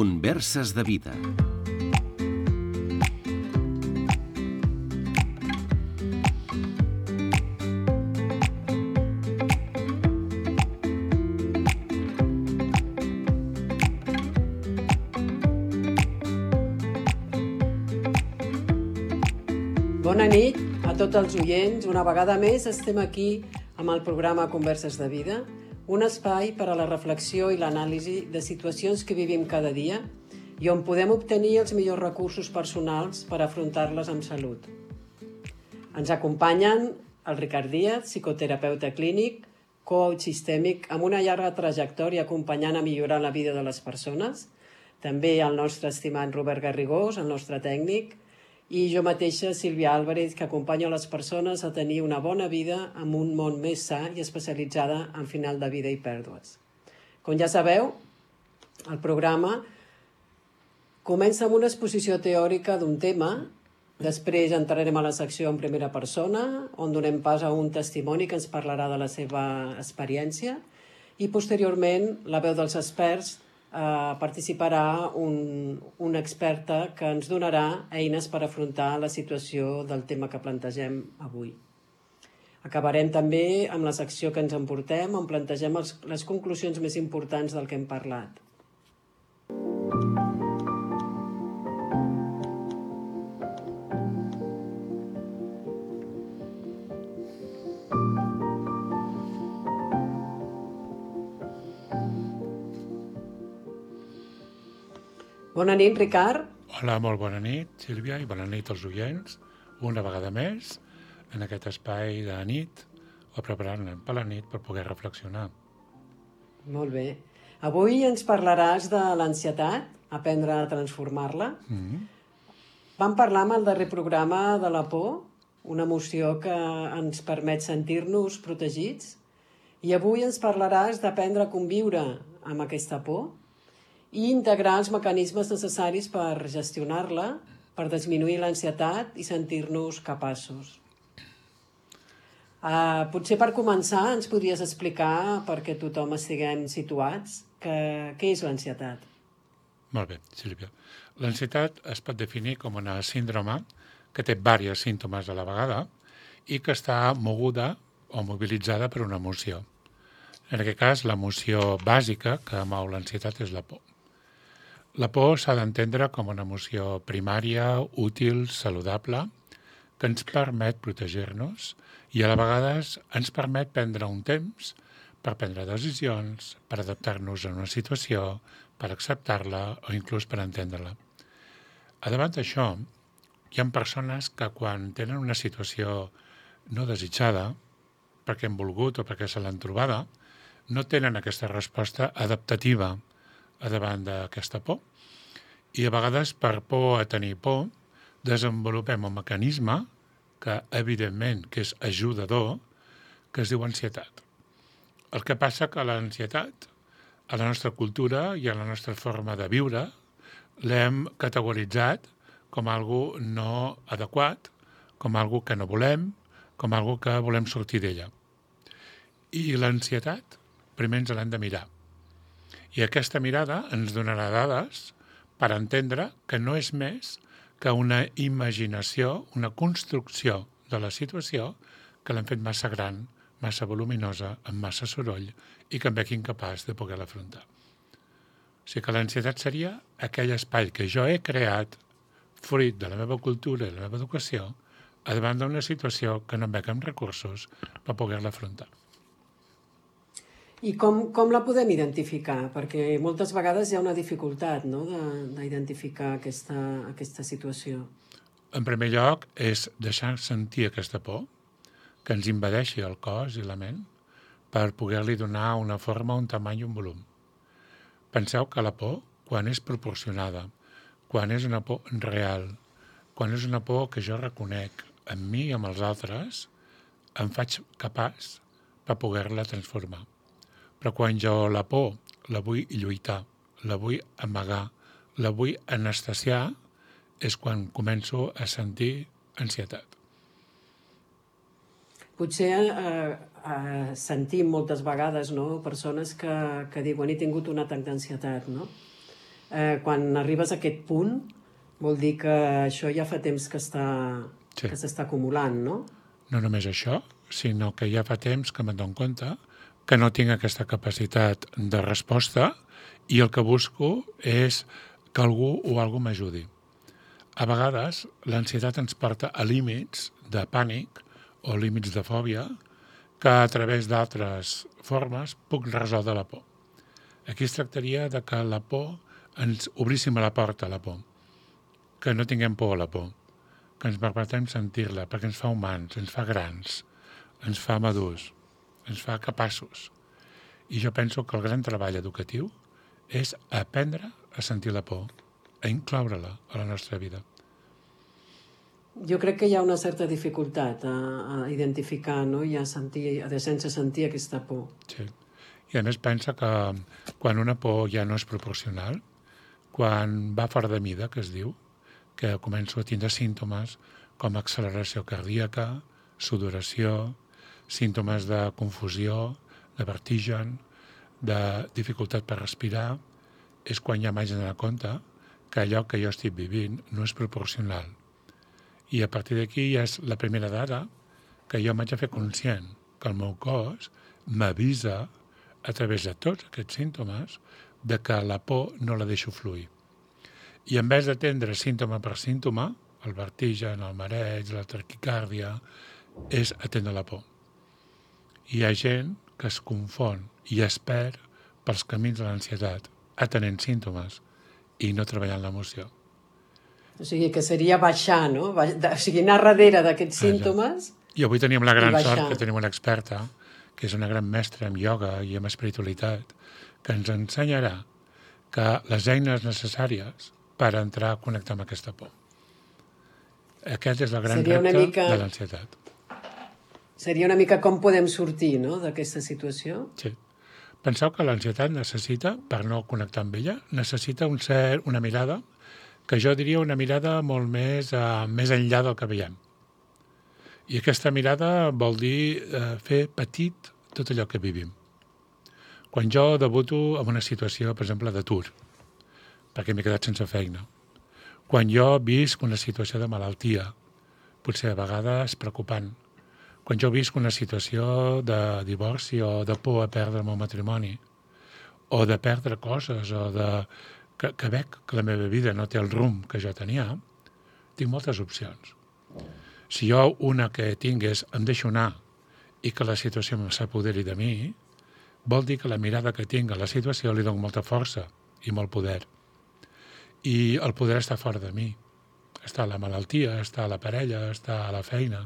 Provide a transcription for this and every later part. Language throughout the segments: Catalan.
Converses de vida. Bona nit a tots els oients. Una vegada més estem aquí amb el programa Converses de vida, un espai per a la reflexió i l'anàlisi de situacions que vivim cada dia i on podem obtenir els millors recursos personals per afrontar-les amb salut. Ens acompanyen el Ricard Díaz, psicoterapeuta clínic, coach sistèmic amb una llarga trajectòria acompanyant a millorar la vida de les persones, també el nostre estimat Robert Garrigós, el nostre tècnic, i jo mateixa, Sílvia Álvarez, que acompanyo les persones a tenir una bona vida amb un món més sa i especialitzada en final de vida i pèrdues. Com ja sabeu, el programa comença amb una exposició teòrica d'un tema, després entrarem a la secció en primera persona, on donem pas a un testimoni que ens parlarà de la seva experiència, i posteriorment la veu dels experts participarà una experta que ens donarà eines per afrontar la situació del tema que plantegem avui. Acabarem també amb la secció que ens emportem, on plantegem les conclusions més importants del que hem parlat. Bona nit, Ricard. Hola, molt bona nit, Sílvia, i bona nit als oients. Una vegada més, en aquest espai de nit, o preparant-nos per la nit per poder reflexionar. Molt bé. Avui ens parlaràs de l'ansietat, aprendre a transformar-la. Vam parlar amb el darrer programa de la por, una emoció que ens permet sentir-nos protegits, i avui ens parlaràs d'aprendre a conviure amb aquesta por i integrar els mecanismes necessaris per gestionar-la, per disminuir l'ansietat i sentir-nos capaços. Potser per començar ens podries explicar, perquè tothom estiguem situats, què és l'ansietat? Molt bé, Sílvia. L'ansietat es pot definir com una síndrome que té diversos símptomes a la vegada i que està moguda o mobilitzada per una emoció. En aquest cas, l'emoció bàsica que mou l'ansietat és la por. La por s'ha d'entendre com una emoció primària, útil, saludable, que ens permet protegir-nos i a la vegades ens permet prendre un temps per prendre decisions, per adaptar-nos a una situació, per acceptar-la o inclús per entendre-la. A davant d'això, hi ha persones que quan tenen una situació no desitjada, perquè han volgut o perquè se l'han trobada, no tenen aquesta resposta adaptativa a davant d'aquesta por. I a vegades, per por a tenir por, desenvolupem un mecanisme que, evidentment, que és ajudador, que es diu ansietat. El que passa que l'ansietat, a la nostra cultura i a la nostra forma de viure, l'hem categoritzat com algo no adequat, com algo que no volem, com algo que volem sortir d'ella. I l'ansietat, primer ens l'hem de mirar. I aquesta mirada ens donarà dades per entendre que no és més que una imaginació, una construcció de la situació que l'hem fet massa gran, massa voluminosa, amb massa soroll i que em veig incapaç de poder l'afrontar. O sigui que l'ansietat seria aquell espai que jo he creat fruit de la meva cultura i la meva educació a davant d'una situació que no em veig amb recursos per poder-la afrontar. I com la podem identificar? Perquè moltes vegades hi ha una dificultat, no?, d'identificar aquesta situació. En primer lloc, és deixar sentir aquesta por, que ens invadeixi el cos i la ment, per poder-li donar una forma, un tamany i un volum. Penseu que la por, quan és proporcionada, quan és una por real, quan és una por que jo reconec en mi i amb els altres, em faig capaç per poder-la transformar. Però quan jo la por la vull lluitar, la vull amagar, la vull anestesiar, és quan començo a sentir ansietat. Potser sentim moltes vegades, no?, persones que diuen he tingut un atac d'ansietat, no? quan arribes a aquest punt, vol dir que això ja fa temps que Sí. s'està acumulant, no? No només això, sinó que ja fa temps que me'n dono compte que no tinc aquesta capacitat de resposta i el que busco és que algú o algú m'ajudi. A vegades, l'ansietat ens porta a límits de pànic o límits de fòbia que a través d'altres formes puc resoldre la por. Aquí es tractaria de que la por ens obríssim a la porta a la por, que no tinguem por a la por, que ens permetem sentir-la perquè ens fa humans, ens fa grans, ens fa madurs, ens fa capaços. I jo penso que el gran treball educatiu és aprendre a sentir la por, a incloure-la a la nostra vida. Jo crec que hi ha una certa dificultat a identificar, no? I sense sentir aquesta por. Sí. I a més pensa que quan una por ja no és proporcional, quan va fora de mida, que es diu, que començo a tindre símptomes com acceleració cardíaca, sudoració, símptomes de confusió, de vertigen, de dificultat per respirar, és quan ja m'haig d'anar a compte que allò que jo estic vivint no és proporcional. I a partir d'aquí ja és la primera dada que jo m'haig de fer conscient que el meu cos m'avisa a través de tots aquests símptomes de que la por no la deixo fluir. I en vez d'atendre símptoma per símptoma, el vertigen, el mareig, la taquicàrdia, és atendre la por. Hi ha gent que es confon i es perd pels camins de l'ansietat, atenent símptomes i no treballant l'emoció. O sigui, que seria baixar, no? O sigui, anar darrere d'aquests símptomes... I avui teníem la gran sort que tenim una experta, que és una gran mestra en ioga i en espiritualitat, que ens ensenyarà que les eines necessàries per entrar a connectar amb aquesta por. Aquest és el gran repte de l'ansietat. Seria una mica com podem sortir, no?, d'aquesta situació. Sí. Penseu que l'ansietat necessita, per no connectar amb ella, necessita una mirada, que jo diria una mirada molt més enllà del que veiem. I aquesta mirada vol dir fer petit tot allò que vivim. Quan jo debuto en una situació, per exemple, d'atur, perquè m'he quedat sense feina, quan jo visc una situació de malaltia, potser a vegades preocupant, quan jo visc una situació de divorci o de por a perdre el meu matrimoni, o de perdre coses, o que veig que la meva vida no té el rumb que jo tenia, tinc moltes opcions. Si jo una que tinc és em deixo anar i que la situació s'apoderi de mi, vol dir que la mirada que tinc a la situació li dono molta força i molt poder. I el poder està fora de mi. Està a la malaltia, està a la parella, està a la feina.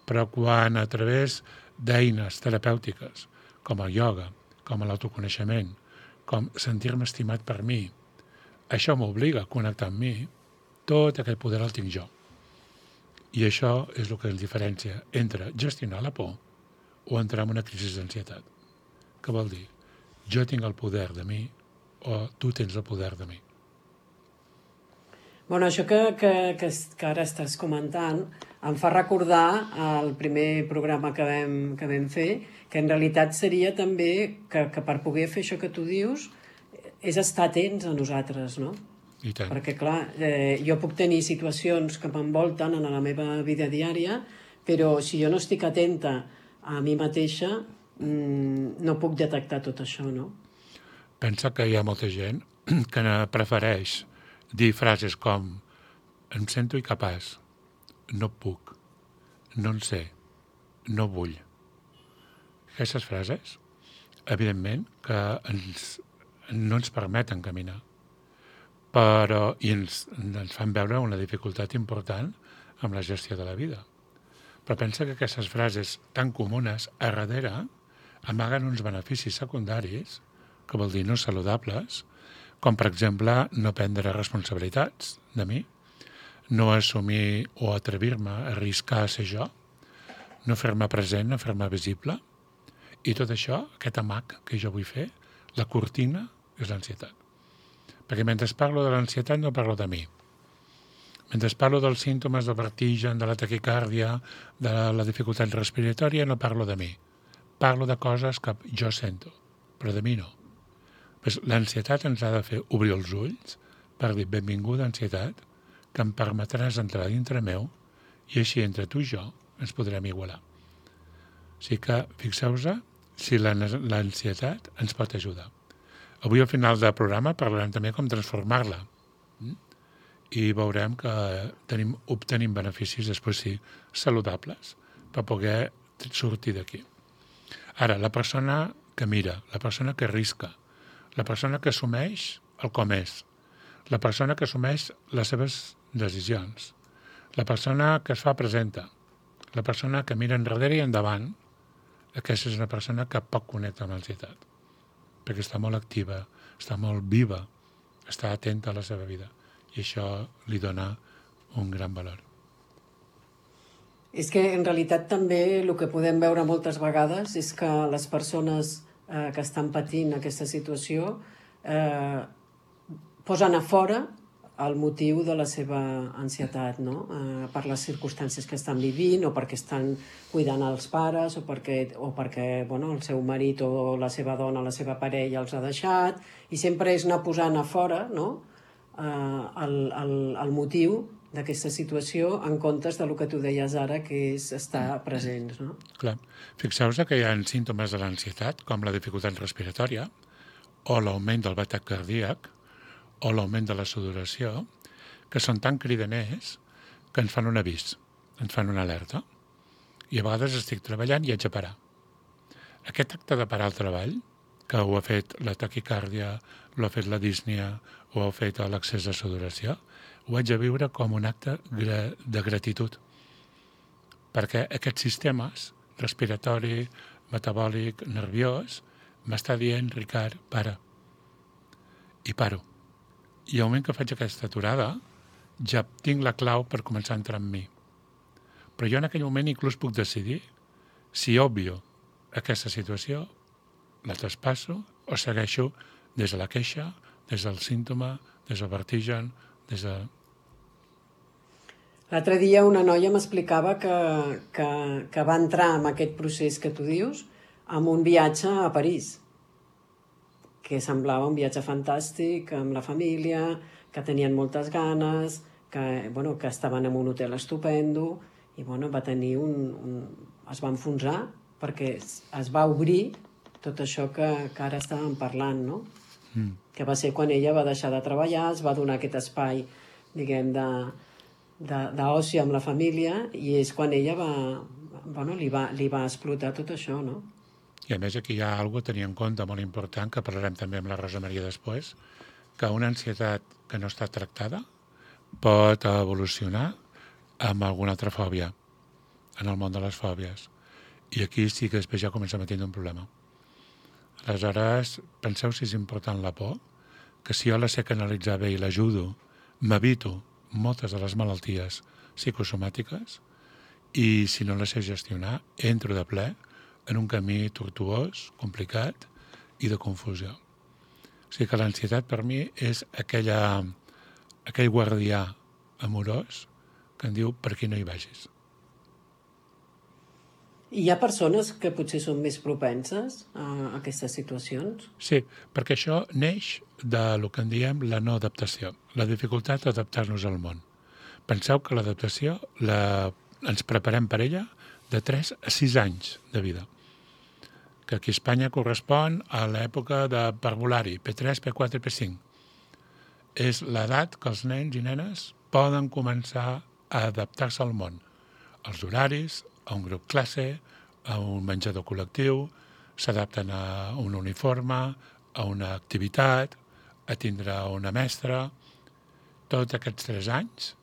Però quan a través d'eines terapèutiques, com el ioga, com l'autoconeixement, com sentir-me estimat per mi, això m'obliga a connectar amb mi, tot aquest poder el tinc jo. I això és el que ens diferencia entre gestionar la por o entrar en una crisi d'ansietat. Què vol dir? Jo tinc el poder de mi o tu tens el poder de mi. Bueno, això que ara estàs comentant em fa recordar el primer programa que vam fer, que en realitat seria també que per poder fer això que tu dius és estar atents a nosaltres, no? I tant. Perquè, clar, jo puc tenir situacions que m'envolten en la meva vida diària, però si jo no estic atenta a mi mateixa, no puc detectar tot això, no? Pensa que hi ha molta gent que prefereix dir frases com em sento incapaç, no puc, no en sé, no vull. Aquestes frases, evidentment, que no ens permeten caminar, però i ens fan veure una dificultat important amb la gestió de la vida. Però pensa que aquestes frases tan comunes a darrere amaguen uns beneficis secundaris, que vol dir no saludables, com per exemple no prendre responsabilitats de mi, no assumir o atrevir-me a arriscar a ser jo, no fer-me present, no fer-me visible, i tot això, aquest amag que jo vull fer, la cortina és l'ansietat. Perquè mentre parlo de l'ansietat no parlo de mi. Mentre parlo dels símptomes del vertigen, de la taquicàrdia, de la dificultat respiratòria, no parlo de mi. Parlo de coses que jo sento, però de mi no. Pues l'ansietat ens ha de fer obrir els ulls per dir benvinguda ansietat, que em permetràs entrar dintre meu i així entre tu i jo ens podrem igualar. O sigui que fixeu-vos si l'ansietat ens pot ajudar. Avui al final del programa parlarem també com transformar-la i veurem que obtenim beneficis després sí saludables per poder sortir d'aquí. Ara, la persona que mira, la persona que arrisca, la persona que assumeix el com és, la persona que assumeix les seves decisions, la persona que es fa presenta, la persona que mira enrere i endavant, aquesta és una persona que poc connecta amb l'ansietat, perquè està molt activa, està molt viva, està atenta a la seva vida, i això li dona un gran valor. És que en realitat també el que podem veure moltes vegades és que les persones que estan patint aquesta situació posen a fora el motiu de la seva ansietat, no? Per les circumstàncies que estan vivint o perquè estan cuidant els pares o perquè el seu marit o la seva dona, la seva parella els ha deixat, i sempre és anar posant a fora, no? El motiu d'aquesta situació en comptes del que tu deies ara, que és estar presents, no? Clar. Fixeu-vos que hi ha símptomes de l'ansietat, com la dificultat respiratòria, o l'augment del batec cardíac, o l'augment de la sudoració, que són tan cridaners que ens fan un avís, ens fan una alerta. I a vegades estic treballant i haig de parar. Aquest acte de parar el treball, que ho ha fet la taquicàrdia, ho ha fet la dísnia, ho ha fet l'excés de sudoració, ho haig de viure com un acte de gratitud. Perquè aquests sistemes, respiratori, metabòlic, nerviós, m'està dient, Ricard, para. I paro. I al moment que faig aquesta aturada, ja tinc la clau per començar a entrar en mi. Però jo en aquell moment inclús puc decidir si obvio aquesta situació, la traspasso o segueixo des de la queixa, des del símptoma, des del vertigen, des de... L'altre dia una noia m'explicava que va entrar en aquest procés que tu dius amb un viatge a París, que semblava un viatge fantàstic amb la família, que tenien moltes ganes, que estaven en un hotel estupendo, i va tenir es va enfonsar perquè es va obrir tot això que ara estàvem parlant, no? Que va ser quan ella va deixar de treballar, es va donar aquest espai, diguem, d'oci amb la família, i és quan ella li va explotar tot això, no? I a més aquí hi ha alguna cosa a tenir en compte molt important, que parlarem també amb la Rosa Maria després, que una ansietat que no està tractada pot evolucionar amb alguna altra fòbia, en el món de les fòbies. I aquí sí que després ja comencem a tindre un problema. Aleshores, penseu si és important la por, que si jo la sé canalitzar bé i l'ajudo, m'evito moltes de les malalties psicosomàtiques, i si no la sé gestionar, entro de ple en un camí tortuós, complicat i de confusió. O sigui que l'ansietat per mi és aquell guardià amorós que em diu per aquí no hi vagis. Hi ha persones que potser són més propenses a aquestes situacions? Sí, perquè això neix del que en diem la no adaptació, la dificultat d'adaptar-nos al món. Penseu que l'adaptació ens preparem per ella de 3 a 6 anys de vida, que aquí a Espanya correspon a l'època de parvulari, P3, P4 i P5. És l'edat que els nens i nenes poden començar a adaptar-se al món, als horaris, a un grup classe, a un menjador col·lectiu, s'adapten a un uniforme, a una activitat, a tindre una mestra. Tots aquests 3 anys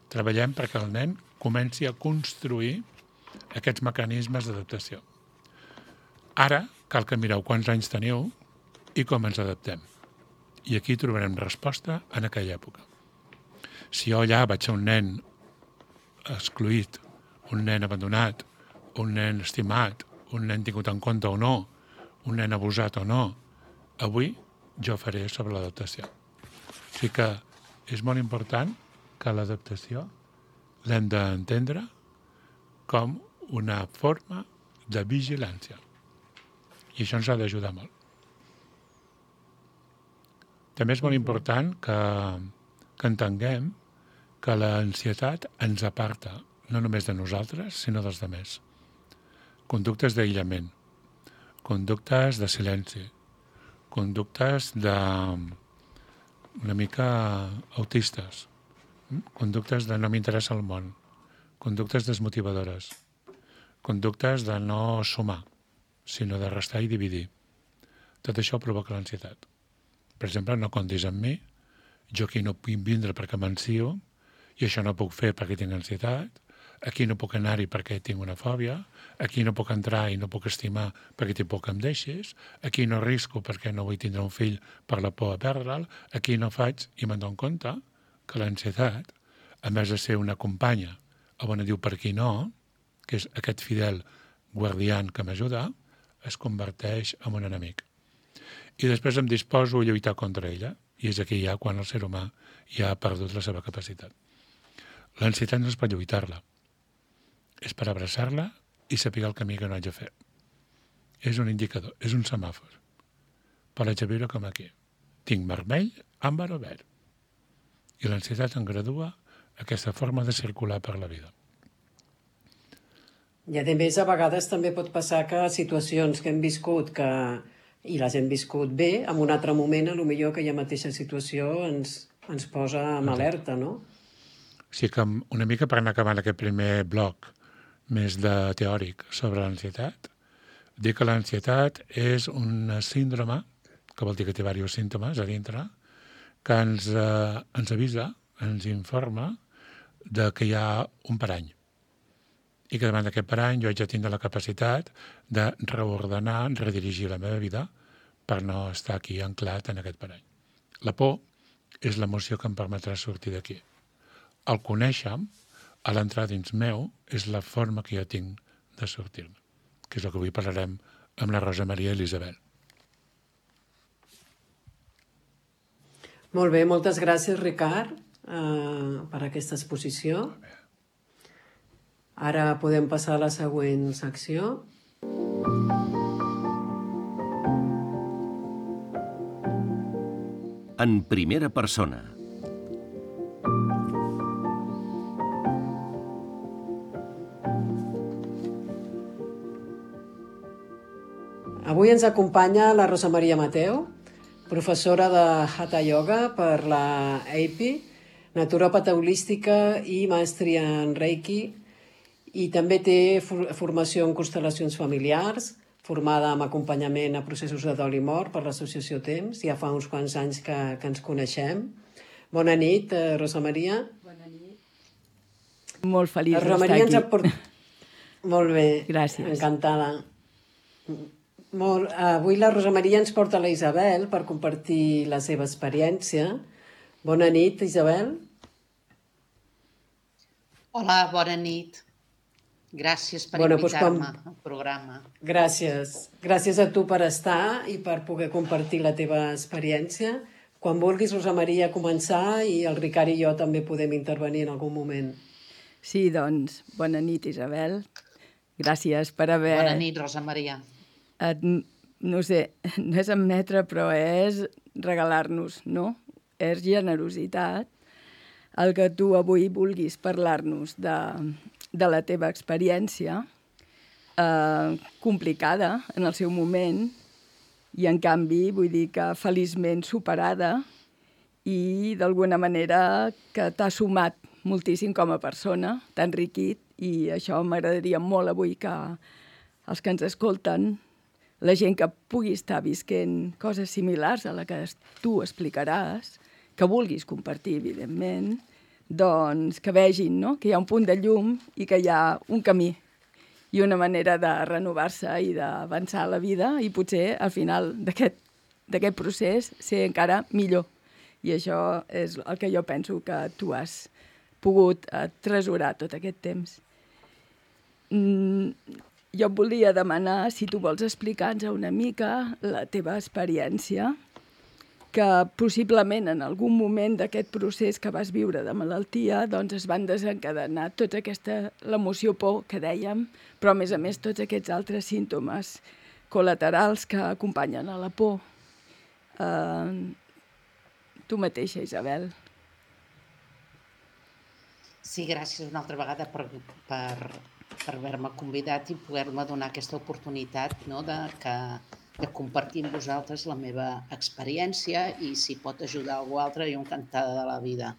treballem perquè el nen comenci a construir aquests mecanismes d'adaptació. Ara cal que mireu quants anys teniu i com ens adaptem. I aquí trobarem resposta en aquella època. Si jo allà vaig ser un nen excluït, un nen abandonat, un nen estimat, un nen tingut en compte o no, un nen abusat o no, avui jo faré sobre l'adaptació. O sigui que és molt important que l'adaptació l'hem d'entendre com una forma de vigilància. I això ens ha d'ajudar molt. També és molt important que entenguem que l'ansietat ens aparta, no només de nosaltres, sinó dels altres. Conductes d'aïllament, conductes de silenci, conductes una mica autistes, conductes de no m'interessa el món, conductes desmotivadores, conductes de no sumar, sinó de restar i dividir. Tot això provoca l'ansietat. Per exemple, no comptis amb mi, jo aquí no puc vindre perquè m'ansio, i això no puc fer perquè tinc ansietat, aquí no puc anar-hi perquè tinc una fòbia, aquí no puc entrar i no puc estimar perquè tinc por que em deixis, aquí no risco perquè no vull tindre un fill per la por a perdre'l, aquí no faig, i me'n dono compte que l'ansietat, a més de ser una companya, o bona diu per qui no, que és aquest fidel guardián que m'ajuda, es converteix en un enemic. I després em disposo a lluitar contra ella, i és aquí ja quan el ser humà ja ha perdut la seva capacitat. L'ansietat no és per lluitar-la, és per abraçar-la i saber el camí que no haig de fer. És un indicador, és un semàfor. Però haig de viure com aquí. Tinc vermell, àmbar o verd. I l'ansietat em gradua aquesta forma de circular per la vida. I a més, a vegades també pot passar que situacions que hem viscut i les hem viscut bé, en un altre moment, potser aquella mateixa situació ens posa en alerta, no? O sigui que una mica per anar acabant aquest primer bloc més de teòric sobre l'ansietat, dir que l'ansietat és una síndrome, que vol dir que té diversos símptomes a dintre, que ens avisa, ens informa de que hi ha un parany. I que davant d'aquest parany jo haig de tindre la capacitat de reordenar, redirigir la meva vida per no estar aquí anclat en aquest parany. La por és l'emoció que em permetrà sortir d'aquí. El conèixer-me, a l'entrar dins meu, és la forma que jo tinc de sortir-me, que és el que avui parlarem amb la Rosa Maria Elisabel. Molt bé, moltes gràcies, Ricard, per aquesta exposició. Ara podem passar a la següent secció. En primera persona. Avui ens acompanya la Rosa Maria Mateu, professora de Hatha Yoga per la API, naturòpata holística i maestria en Reiki, i també té formació en constel·lacions familiars, formada amb acompanyament a processos de dol i mort per l'associació Temps. Ja fa uns quants anys que ens coneixem. Bona nit, Rosa Maria. Bona nit. Molt feliç d'estar aquí. Molt bé. Gràcies. Encantada. Avui la Rosa Maria ens porta la Isabel per compartir la seva experiència. Bona nit, Isabel. Hola, bona nit. Gràcies per invitar-me al programa. Gràcies. Gràcies a tu per estar i per poder compartir la teva experiència. Quan vulguis, Rosa Maria, començar, i el Ricard i jo també podem intervenir en algun moment. Sí, doncs, bona nit, Isabel. Gràcies per haver... Bona nit, Rosa Maria. No sé, no és admetre, però és regalar-nos, no? És generositat el que tu avui vulguis parlar-nos de la teva experiència, complicada en el seu moment, i en canvi vull dir que feliçment superada i d'alguna manera que t'ha sumat moltíssim com a persona, t'ha enriquit, i això m'agradaria molt avui que els que ens escolten, la gent que pugui estar visquent coses similars a la que tu explicaràs, que vulguis compartir, evidentment, doncs que vegin, no?, que hi ha un punt de llum i que hi ha un camí i una manera de renovar-se i d'avançar a la vida, i potser al final d'aquest procés ser encara millor. I això és el que jo penso que tu has pogut tresorar tot aquest temps. Jo et volia demanar si tu vols explicar-nos una mica la teva experiència, que possiblement en algun moment d'aquest procés que vas viure de malaltia doncs es van desencadenar tota l'emoció por que dèiem, però a més tots aquests altres símptomes col·laterals que acompanyen a la por. Tu mateixa, Isabel. Sí, gràcies una altra vegada per haver-me convidat i poder-me donar aquesta oportunitat, no, de compartir amb vosaltres la meva experiència i si pot ajudar algú altre, jo encantada de la vida.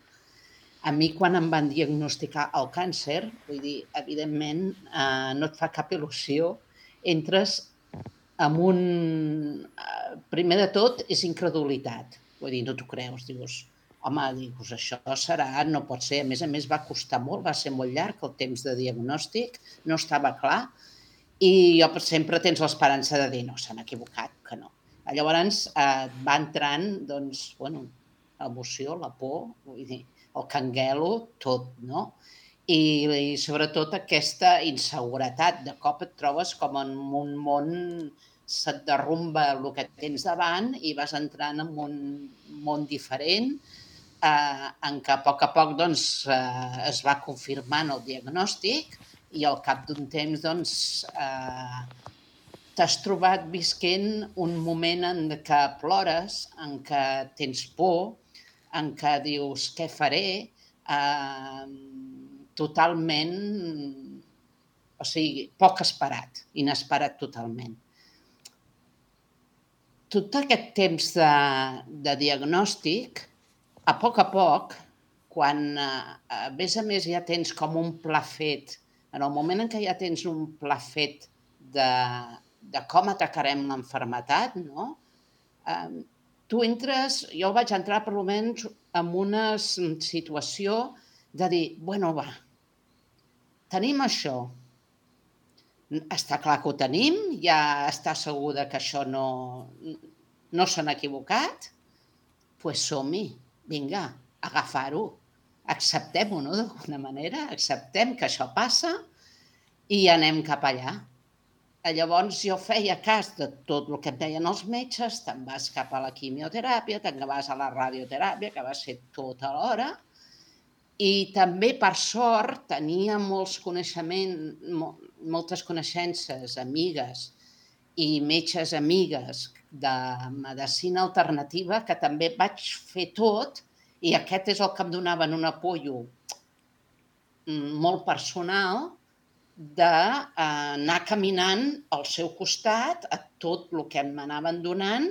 A mi, quan em van diagnosticar el càncer, vull dir, evidentment, no et fa cap il·lusió, entres amb un... Primer de tot, és incredulitat. Vull dir, no t'ho creus, dius, home, dius, això serà, no pot ser. A més, va costar molt, va ser molt llarg el temps de diagnòstic, no estava clar, i jo sempre tens l'esperança de dir, no, s'han equivocat, que no. Llavors va entrant, doncs, bueno, l'emoció, la por, vull dir, el canguelo, tot, no? I sobretot aquesta inseguretat. De cop et trobes com en un món, se't derrumba el que tens davant i vas entrant en un món diferent, en què a poc doncs, es va confirmant el diagnòstic i al cap d'un temps doncs, t'has trobat visquent un moment en què plores, en què tens por, en què dius què faré, totalment, o sigui, poc esperat, inesperat totalment. Tot aquest temps de diagnòstic, a poc, quan a més ja tens com un pla fet, en el moment en què ja tens un pla fet de com atacarem l'enfermetat, no? Tu entres, jo vaig entrar per almenys en una situació de dir, bueno, va, tenim això, està clar que ho tenim, ja està segur que això no s'han equivocat, doncs som-hi, vinga, agafar-ho, acceptem-ho, no?, d'alguna manera, acceptem que això passa i anem cap allà. Llavors jo feia cas de tot el que em deien els metges, te'n vas cap a la quimioteràpia, te'n vas a la radioteràpia, que va ser tota l'hora, i també, per sort, tenia moltes coneixences, amigues i metges amigues de medicina alternativa que també vaig fer tot i aquest és el que em donaven un apoyo molt personal d'anar caminant al seu costat a tot el que m'anaven donant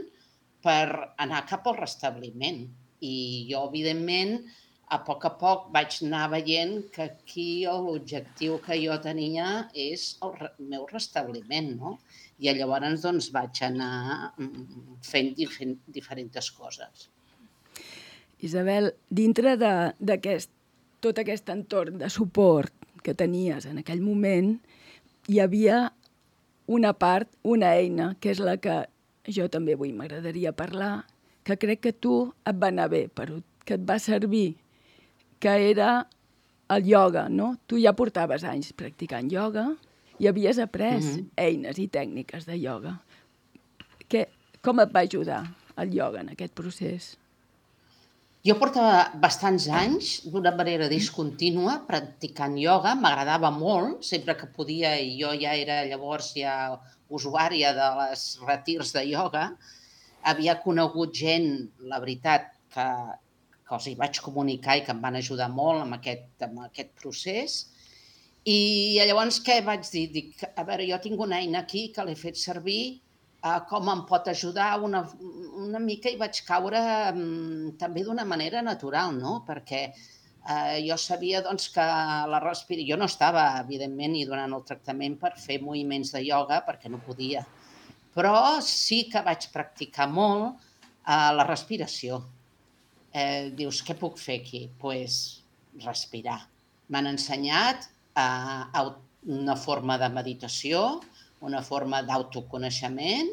per anar cap al restabliment. I jo, evidentment, a poc vaig anar veient que aquí l'objectiu que jo tenia és el meu restabliment, no? I llavors doncs, vaig anar fent diferents coses. Isabel, dintre d'aquest tot aquest entorn de suport que tenies en aquell moment, hi havia una part, una eina, que és la que jo també avui m'agradaria parlar, que crec que tu et va anar bé, que et va servir, que era el ioga, no? Tu ja portaves anys practicant ioga i havies après eines i tècniques de ioga. Com et va ajudar el ioga en aquest procés? Jo portava bastants anys, d'una manera discontínua, practicant ioga, m'agradava molt, sempre que podia, i jo ja era llavors usuària de les retirs de ioga. Havia conegut gent, la veritat, que els hi vaig comunicar i que em van ajudar molt amb aquest procés. I llavors què vaig dir? Dic, a veure, jo tinc una eina aquí que l'he fet servir, com em pot ajudar una mica i vaig caure també d'una manera natural, no? Perquè jo sabia doncs, que la respiració... Jo no estava, evidentment, ni donant el tractament per fer moviments de ioga perquè no podia. Però sí que vaig practicar molt la respiració. Dius, què puc fer aquí? Doncs respirar. M'han ensenyat una forma de meditació, una forma d'autoconeixement,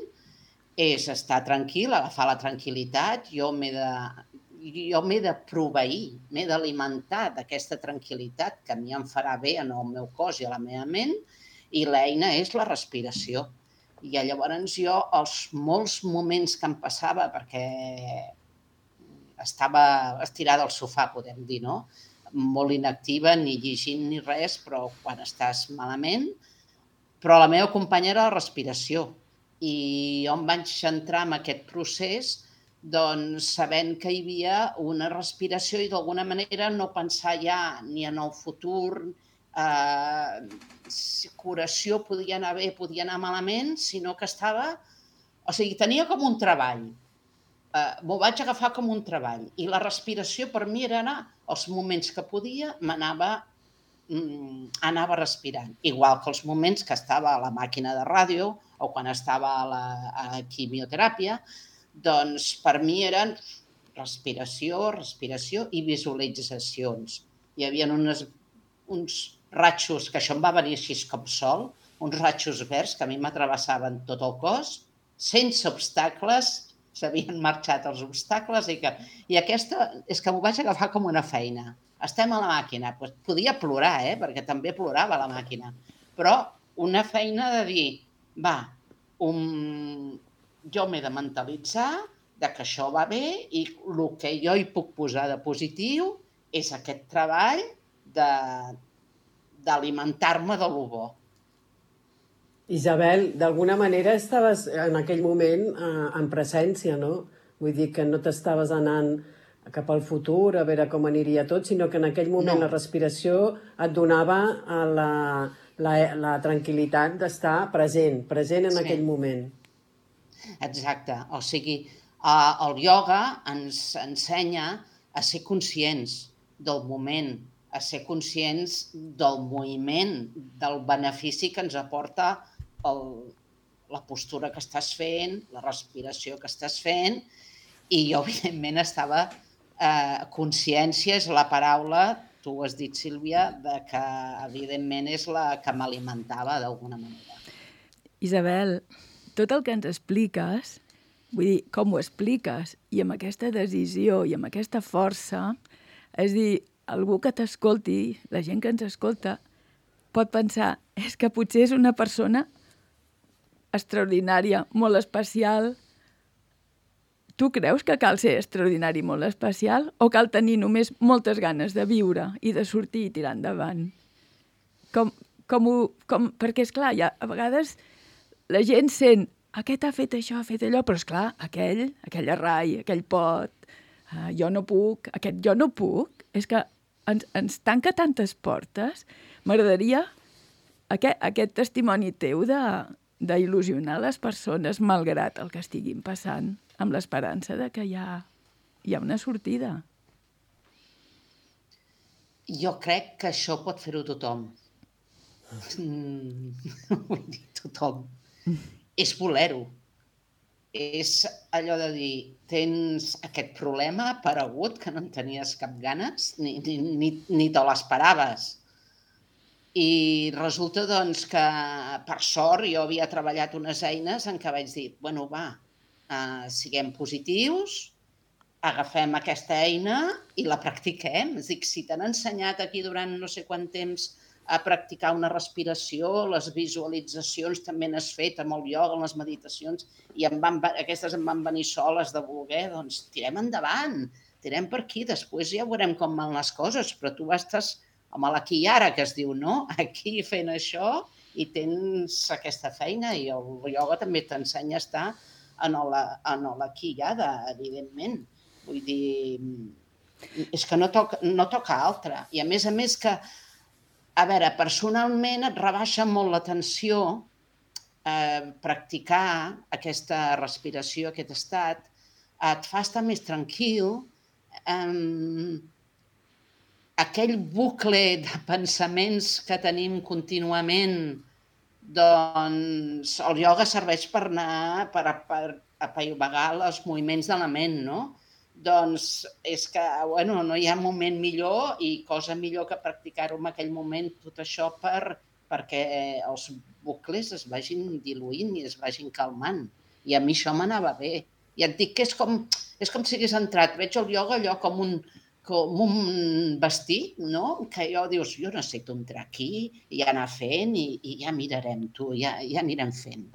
és estar tranquil, agafar la tranquil·litat. Jo m'he de proveir, m'he d'alimentar d'aquesta tranquil·litat que a mi em farà bé en el meu cos i a la meva ment, i l'eina és la respiració. I llavors jo, els molts moments que em passava, perquè estava estirada al sofà, podem dir, no? Molt inactiva, ni llegint ni res, però quan estàs malament... Però la meva companya era la respiració i jo em vaig entrar en aquest procés doncs sabent que hi havia una respiració i d'alguna manera no pensar ja ni en el futur, si curació podia anar bé, podia anar malament, sinó que estava... O sigui, tenia com un treball. M'ho vaig agafar com un treball. I la respiració per mi era anar, els moments que podia, anava respirant. Igual que els moments que estava a la màquina de ràdio o quan estava a la quimioteràpia, doncs per mi eren respiració i visualitzacions. Hi havia uns ratxos, que això em va venir així com sol, uns ratxos verds que a mi m'atravessaven tot el cos, sense obstacles, s'havien marxat els obstacles i aquesta és que m'ho vaig agafar com una feina. Estem a la màquina. Podia plorar, perquè també plorava la màquina, però una feina de dir, jo m'he de mentalitzar de que això va bé i el que jo hi puc posar de positiu és aquest treball d'alimentar-me de lo bo. Isabel, d'alguna manera estaves en aquell moment en presència, no? Vull dir que no t'estaves anant cap al futur a veure com aniria tot, sinó que en aquell moment la respiració et donava la tranquil·litat d'estar present en aquell moment. Exacte. O sigui, el ioga ens ensenya a ser conscients del moment, a ser conscients del moviment, del benefici que ens aporta la postura que estàs fent, la respiració que estàs fent, i jo, evidentment, estava... consciència és la paraula, tu ho has dit, Sílvia, que, evidentment, és la que m'alimentava d'alguna manera. Isabel, tot el que ens expliques, vull dir, com ho expliques, i amb aquesta decisió i amb aquesta força, és dir, algú que t'escolti, la gent que ens escolta, pot pensar, és que potser és una persona extraordinària, molt especial. Tu creus que cal ser extraordinari, molt especial, o cal tenir només moltes ganes de viure i de sortir i tirar endavant? Perquè, esclar, a vegades la gent sent aquest ha fet això, ha fet allò, però, esclar, aquell arrai, aquell pot, jo no puc, aquest jo no puc, és que ens tanca tantes portes. M'agradaria aquest testimoni teu d'il·lusionar les persones malgrat el que estiguin passant, amb l'esperança de que hi ha una sortida. Jo crec que això pot fer-ho tothom. Vull dir, tothom. És voler-ho. És allò de dir, tens aquest problema aparegut que no en tenies cap ganes, ni te l'esperaves. I resulta, doncs, que, per sort, jo havia treballat unes eines en què vaig dir, bueno, siguem positius, agafem aquesta eina i la practiquem. És a dir, si t'han ensenyat aquí durant no sé quant temps a practicar una respiració, les visualitzacions també n'has fet amb el ioga, amb les meditacions, i aquestes em van venir soles de voler, doncs tirem endavant, tirem per aquí, després ja veurem com van les coses, però tu estàs amb l'aquí i ara, que es diu, no? Aquí fent això i tens aquesta feina, i el ioga també t'ensenya a estar en l'aquí i ara, evidentment. Vull dir, és que no toca altra. I a més que, a veure, personalment et rebaixa molt la tensió practicar aquesta respiració, aquest estat, et fa estar més tranquil, aquell bucle de pensaments que tenim contínuament, doncs el ioga serveix per anar, per apaivagar els moviments de la ment, no? Doncs és que, bueno, no hi ha moment millor i cosa millor que practicar-ho en aquell moment, tot això perquè els bucles es vagin diluint i es vagin calmant. I a mi això m'anava bé. I et dic que és com si hagués entrat, veig el ioga allò com un vestit, no? Que dius, jo necessito entrar aquí i anar fent i ja mirarem, tu, ja anirem fent.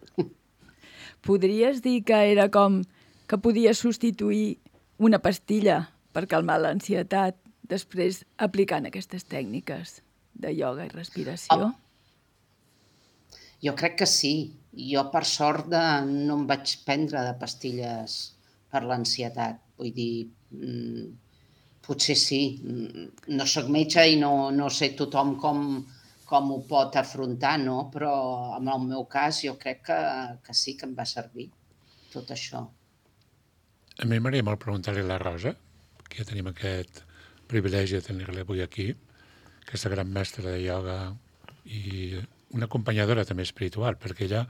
Podries dir que era com que podies substituir una pastilla per calmar l'ansietat després aplicant aquestes tècniques de ioga i respiració? Jo crec que sí. Jo, per sort, no em vaig prendre de pastilles per l'ansietat. Vull dir, potser sí. No soc metge i no sé tothom com ho pot afrontar, no? Però en el meu cas jo crec que sí que em va servir tot això. A mi m'agradaria molt preguntar-li a la Rosa, que ja tenim aquest privilegi de tenir-la avui aquí, aquesta gran mestra de ioga i una acompanyadora també espiritual, perquè ella,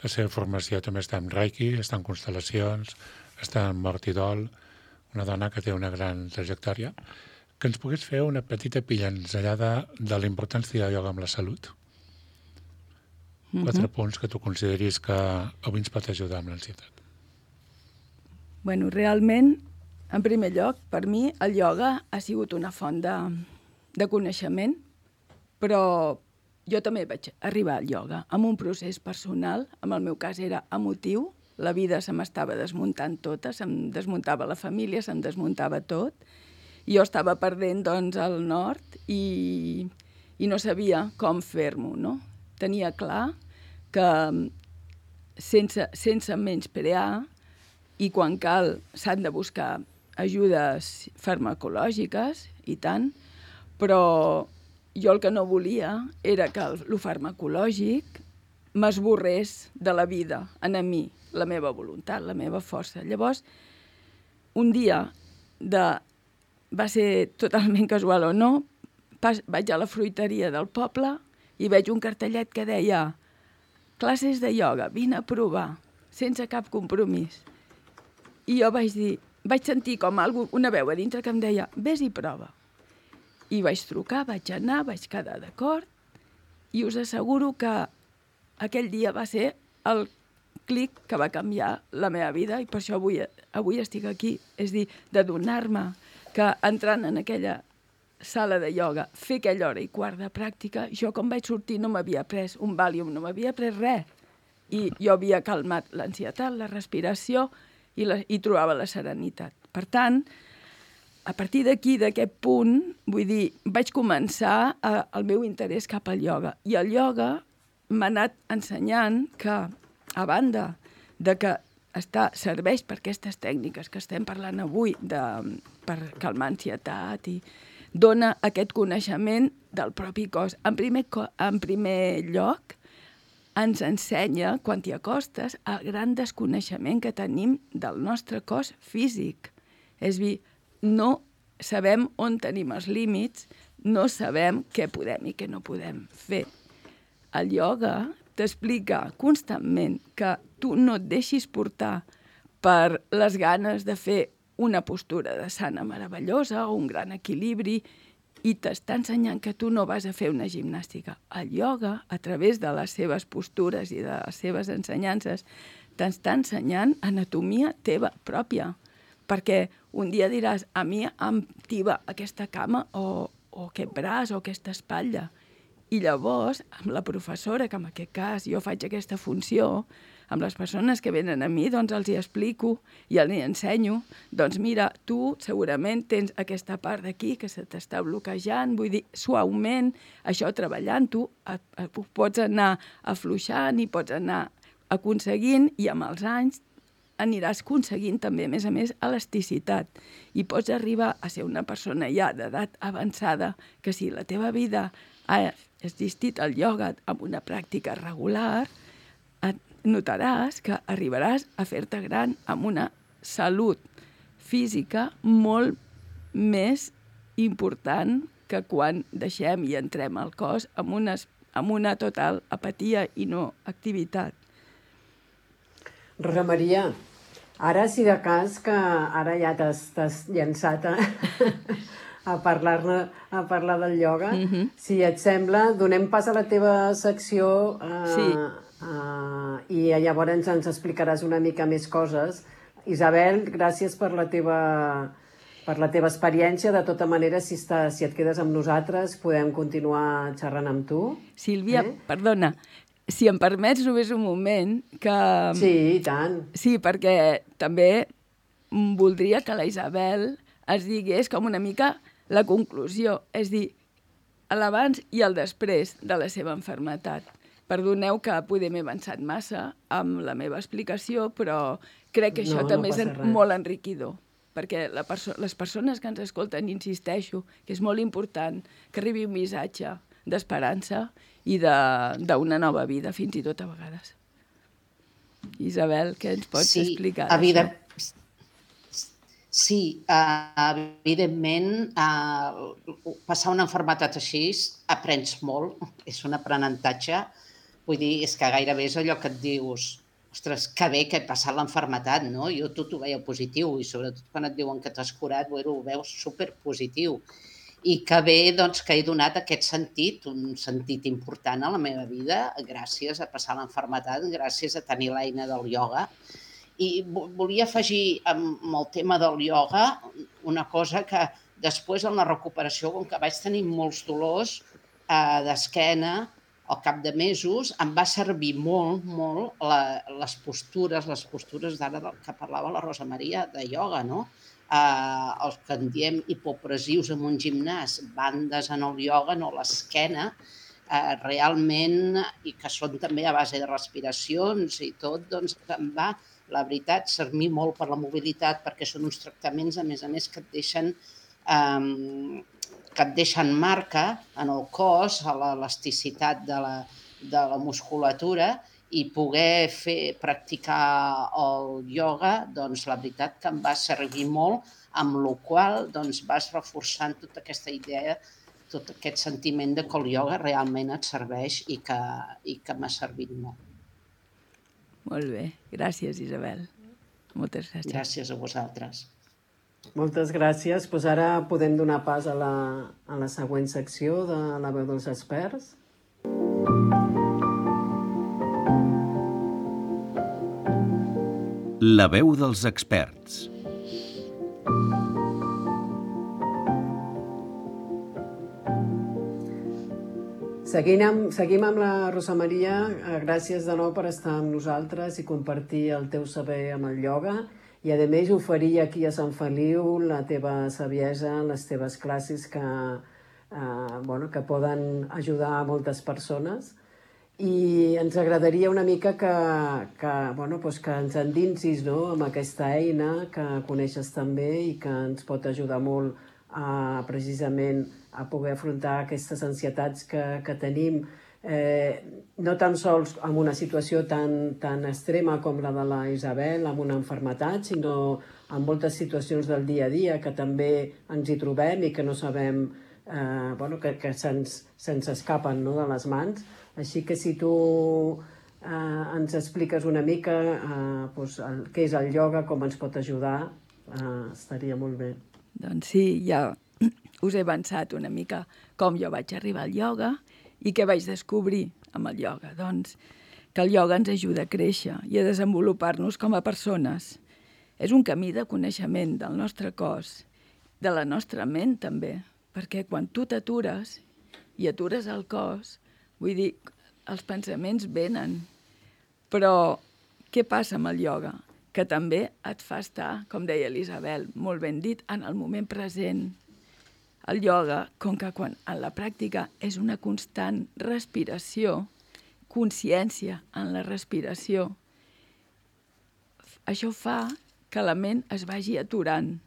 la seva formació també està en Reiki, està en constel·lacions, està en mort i dol, una dona que té una gran trajectòria, que ens pogués fer una petita pinzellada de la importància del ioga amb la salut. 4 punts que tu consideris que avui ens pot ajudar amb l'ansietat. Bueno, realment, en primer lloc, per mi el ioga ha sigut una font de coneixement, però jo també vaig arribar al ioga amb un procés personal, en el meu cas era emotiu, la vida se m'estava desmuntant tota, se'm desmuntava la família, se'm desmuntava tot, i jo estava perdent, doncs, el nord i no sabia com fer-m'ho, no? Tenia clar que sense menysprear i quan cal s'han de buscar ajudes farmacològiques i tant, però jo el que no volia era que el farmacològic m'esborrés de la vida, a mi, la meva voluntat, la meva força. Llavors, un dia, va ser totalment casual o no, vaig a la fruiteria del poble i veig un cartellet que deia classes de ioga, vine a provar, sense cap compromís. I jo vaig sentir com una veu a dintre que em deia, vés i prova. I vaig trucar, vaig anar, vaig quedar d'acord, i us asseguro que aquell dia va ser el clic que va canviar la meva vida, i per això avui estic aquí. És dir, de donar-me que entrant en aquella sala de ioga, fer aquella hora i quart de pràctica, jo quan vaig sortir no m'havia pres un Valium, no m'havia pres res. I jo havia calmat l'ansietat, la respiració, i trobava la serenitat. Per tant, a partir d'aquí, d'aquest punt, vull dir, vaig començar el meu interès cap al ioga. I el ioga m'ha anat ensenyant que, a banda de que serveix per aquestes tècniques que estem parlant avui, per calmar ansietat, i dona aquest coneixement del propi cos. En primer lloc, ens ensenya, quan t'hi acostes, el gran desconeixement que tenim del nostre cos físic. És a dir, no sabem on tenim els límits, no sabem què podem i què no podem fer. El ioga t'explica constantment que tu no et deixis portar per les ganes de fer una postura de sana meravellosa o un gran equilibri, i t'està ensenyant que tu no vas a fer una gimnàstica. El ioga, a través de les seves postures i de les seves ensenyances, t'està ensenyant anatomia teva pròpia. Perquè un dia diràs, a mi em tiba aquesta cama o aquest braç o aquesta espatlla. I llavors, amb la professora, que en aquest cas jo faig aquesta funció, amb les persones que venen a mi, doncs els hi explico i els hi ensenyo, doncs mira, tu segurament tens aquesta part d'aquí que se t'està bloquejant, vull dir, suaument, això treballant-ho, pots anar afluixant i pots anar aconseguint, i amb els anys aniràs aconseguint també, a més, elasticitat. I pots arribar a ser una persona ja d'edat avançada que si la teva vida ha existit el ioga amb una pràctica regular, notaràs que arribaràs a fer-te gran amb una salut física molt més important que quan deixem i entrem al cos amb una total apatia i no activitat. Rosa Maria, ara si de cas que ara ja t'has llançat a parlar del ioga, si et sembla, donem pas a la teva secció i llavors ens explicaràs una mica més coses. Isabel, gràcies per la teva experiència. De tota manera, si et quedes amb nosaltres, podem continuar xerrant amb tu. Sílvia, perdona, si em permets només un moment que... Sí, i tant. Sí, perquè també voldria que la Isabel es digués com una mica la conclusió, és dir, l'abans i el després de la seva malaltia. Perdoneu que poder m'he avançat massa amb la meva explicació, però crec que això també és molt enriquidor, perquè les persones que ens escolten, insisteixo, que és molt important que arribi un missatge d'esperança i d'una nova vida, fins i tot a vegades. Isabel, què ens pots explicar d'això? Sí, evidentment, passar una malaltia així aprens molt, és un aprenentatge. Vull dir, és que gairebé és allò que et dius, ostres, que bé que he passat la malaltia, no? Jo tot ho veia positiu i sobretot quan et diuen que t'has curat, ho veus superpositiu. I que bé doncs, que he donat aquest sentit, un sentit important a la meva vida, gràcies a passar la malaltia, gràcies a tenir l'eina del ioga. I volia afegir amb el tema del ioga una cosa que després en la recuperació, com que vaig tenir molts dolors d'esquena al cap de mesos, em va servir molt, molt les postures d'ara que parlava la Rosa Maria de ioga, no? Els que en diem hipopressius en un gimnàs, bandes en el ioga, no l'esquena, realment, i que són també a base de respiracions i tot, doncs em va, la veritat, servir molt per la mobilitat, perquè són uns tractaments, a més, que et deixen marca en el cos, a l'elasticitat de la musculatura, i poder practicar el ioga, doncs la veritat que em va servir molt, amb la qual cosa vas reforçant tota aquesta idea, tot aquest sentiment de que el ioga realment et serveix i que m'ha servit molt. Molt bé, gràcies Isabel. Moltes gràcies. Gràcies a vosaltres. Moltes gràcies. Doncs ara podem donar pas a la següent secció de la veu dels experts. La veu dels experts. Seguim amb la Rosa Maria. Gràcies de nou per estar amb nosaltres i compartir el teu saber amb el ioga i, a més, oferir aquí a Sant Feliu la teva saviesa, les teves classes que poden ajudar a moltes persones. I ens agradaria una mica que ens endinsis amb aquesta eina que coneixes també i que ens pot ajudar molt precisament a poder afrontar aquestes ansietats que tenim, no tan sols en una situació tan extrema com la de la Isabel, amb una malaltia, sinó en moltes situacions del dia a dia que també ens hi trobem i que no sabem, que se'ns escapen de les mans. Així que si tu ens expliques una mica què és el ioga, com ens pot ajudar, estaria molt bé. Doncs sí, ja us he avançat una mica com jo vaig arribar al ioga i què vaig descobrir amb el ioga. Doncs que el ioga ens ajuda a créixer i a desenvolupar-nos com a persones. És un camí de coneixement del nostre cos, de la nostra ment també, perquè quan tu t'atures i atures el cos, vull dir, els pensaments venen. Però què passa amb el ioga? Que també et fa estar, com deia l'Isabel, molt ben dit, en el moment present. El ioga, com que en la pràctica és una constant respiració, consciència en la respiració, això fa que la ment es vagi aturant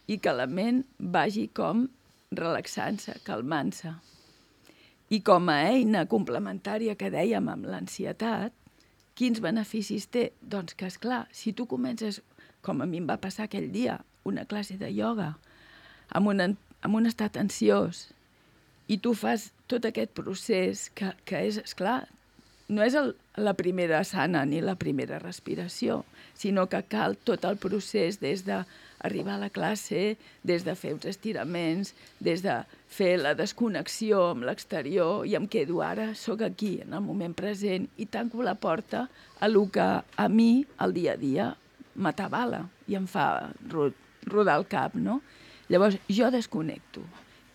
i que la ment vagi com relaxant-se, calmant-se. I com a eina complementària que dèiem amb l'ansietat, quins beneficis té? Doncs que, esclar, si tu comences, com a mi em va passar aquell dia, una classe de ioga, amb un estat ansiós, i tu fas tot aquest procés que és, esclar, no és la primera asana ni la primera respiració, sinó que cal tot el procés des d'arribar a la classe, des de fer uns estiraments, des de fer la desconnexió amb l'exterior, i em quedo ara, soc aquí, en el moment present, i tanco la porta a lo que a mi, el dia a dia, m'atabala i em fa rodar el cap, no? Llavors, jo desconnecto.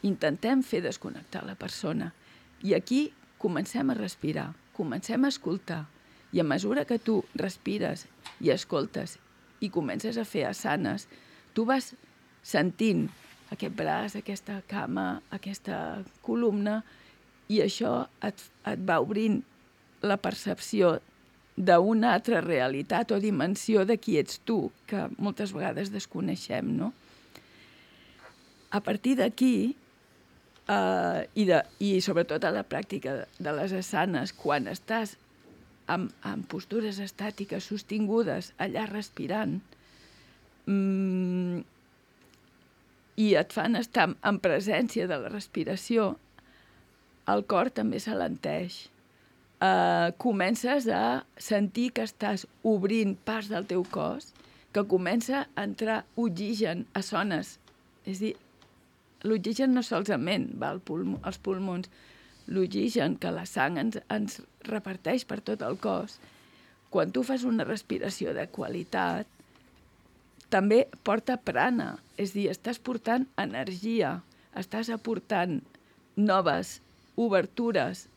Intentem fer desconnectar la persona. I aquí comencem a respirar, comencem a escoltar. I a mesura que tu respires i escoltes i comences a fer asanes, tu vas sentint aquest braç, aquesta cama, aquesta columna, i això et va obrint la percepció d'una altra realitat o dimensió de qui ets tu, que moltes vegades desconeixem, no? A partir d'aquí, i sobretot a la pràctica de les asanes, quan estàs en postures estàtiques sostingudes, allà respirant, i et fan estar en presència de la respiració, el cor també s'alenteix. Comences a sentir que estàs obrint parts del teu cos, que comença a entrar oxigen a zones. És a dir, l'oxigen no solament va als pulmons, l'oxigen que la sang ens reparteix per tot el cos. Quan tu fas una respiració de qualitat, també porta prana, és a dir, estàs portant energia, estàs aportant noves obertures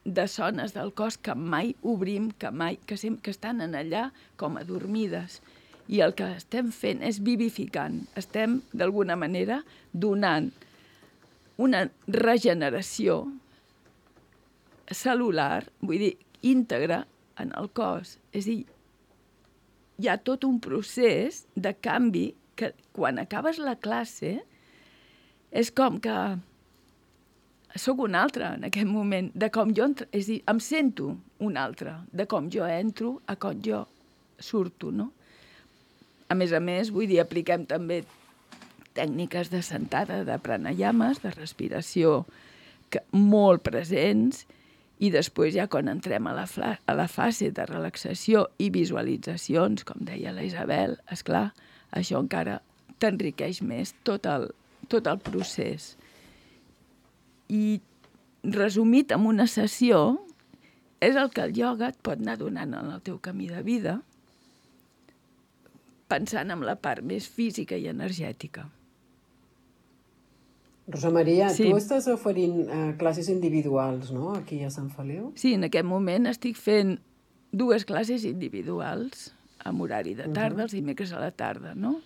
de zones del cos que mai obrim, que estan en allà com adormides. I el que estem fent és vivificant. Estem, d'alguna manera, donant una regeneració cel·lular, vull dir, íntegra en el cos. És a dir, hi ha tot un procés de canvi que quan acabes la classe és com que soc un altre en aquest moment, de com jo és a dir, em sento un altre, de com jo entro a com jo surto, no? A més, vull dir, apliquem també tècniques de sentada, de pranayames, de respiració molt presents, i després ja quan entrem a la fase de relaxació i visualitzacions, com deia la Isabel, esclar, això encara t'enriqueix més tot el procés. I resumit en una sessió, és el que el ioga et pot anar donant en el teu camí de vida, pensant en la part més física i energètica. Rosa Maria, sí. Tu estàs oferint classes individuals, no?, aquí a Sant Feliu? Sí, en aquest moment estic fent 2 classes individuals, amb horari de tarda, els dimecres a la tarda, no?